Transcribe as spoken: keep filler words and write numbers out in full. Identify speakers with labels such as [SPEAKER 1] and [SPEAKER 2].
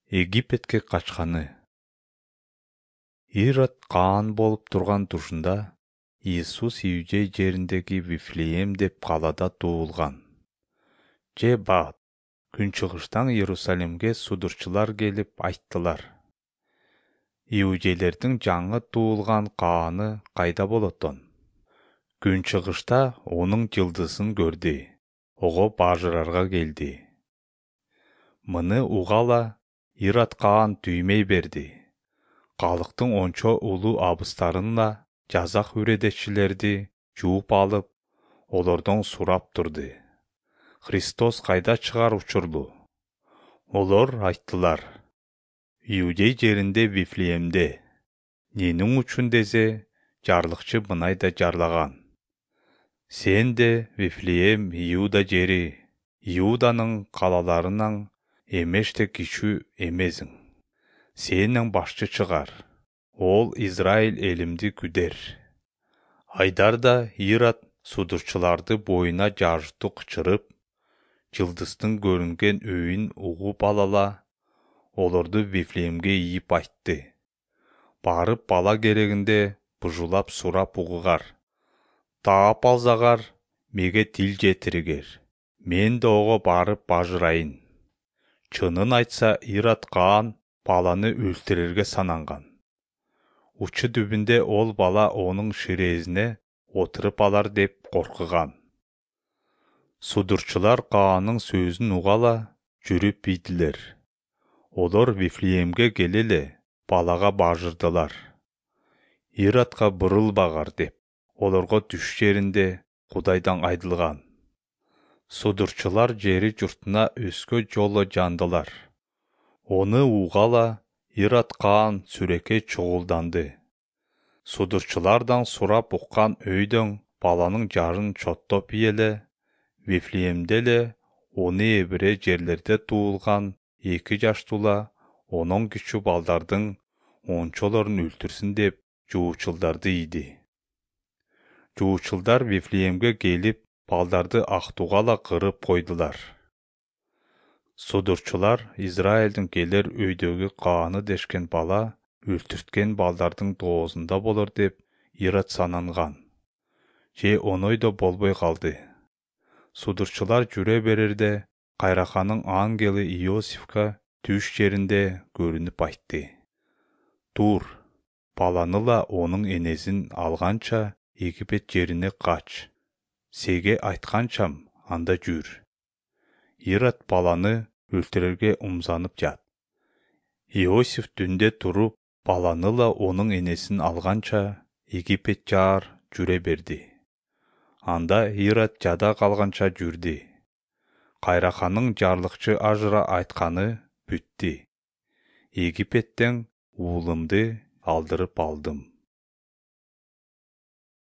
[SPEAKER 1] Египетке качканы. Ирод каан болуп турган тушунда Иисус Иудей жериндеги Вифлеем деп калада туулган. Же бат, күнчыгыштан Иерусалимге судурчулар келип айттылар: Иудейлердин жаңы туулган кааны кайда болотон? Күнчыгышта онун жылдызын көрдү, ого бажырарга келди. Мыны угала Ирод каан түймөй берди. Калктын ончо улуу абыстарынла жазак үредекчилерди жууп алып, олордон сурап турду: Христос кайда чыгар учурлу? Олор айттылар: Иудей жеринде Вифлеемде. Ненің үчүн десе, жарлыкчы мынайда жарлаган: Сен де Вифлеем Иуда жери, Иуданын калаларынан эмеште кичүү эмесиң. Сенин башчы чыгар, ол Израиль элимди күдер. Айдарда Ирод судурчуларды боюна жаажыттуу кычырып, жылдыздын көрүнген өйүн угуп алала, олорду Вифлеемге ийип айтты: Барып бала керегинде бужулап сурап угугар. Таап алсагар, меге тил жетиригер. Мен да ого барып бажырайын. Чынын айтса, Ирод каан баланы өлтүрөргө сананган. Учу түбүндө ол бала онун ширезине отуруп алар деп коркуган. Судурчулар каанын сөзүн угала жүрүп ийдилер. Олор Вифлеемге келеле балага бажырдылар. Иродко бурулбагар деп, олорго түш жеринде Кудайдан айдылган. Судурчулар жери журтуна өскө жолу жандылар. Оны угала Ирод каан сүрөккө чогулданды. Судурчулардан сурап уккан өйдөн баланын жарын чоттоп ийеле, Вифлеемде эле оны эбире жерлерде туулган эки жаштуула онон кичүү балдардын ончолорун өлтүрсүн деп жуучулдарды ийди. Жуучулдар Вифлеемге келип, балдарды актугала кырып койдулар. Судурчулар Израилдин келер өйдөгү кааны дешкен бала өлтүрткөн балдардын доосунда болор деп Ирод сананган. Же оной да болбой калды. Судурчулар жүрө берерде кайраканын ангели Иосифка түш жеринде көрүнүп айтты: Тур, баланыла онун энесин алганча Египет жерине кач. Сеге айтканчам, анда жүр. Ирод баланы өлтүрөргө умзанып жат. Иосиф түндө туруп, баланыла онун энесин алганча Египет жаар жүрө берди. Анда Ирод жада калганча жүрдү. Кайраканын жарлыкчы ажыра айтканы бүттү. Египеттен уулумду алдырып алдым.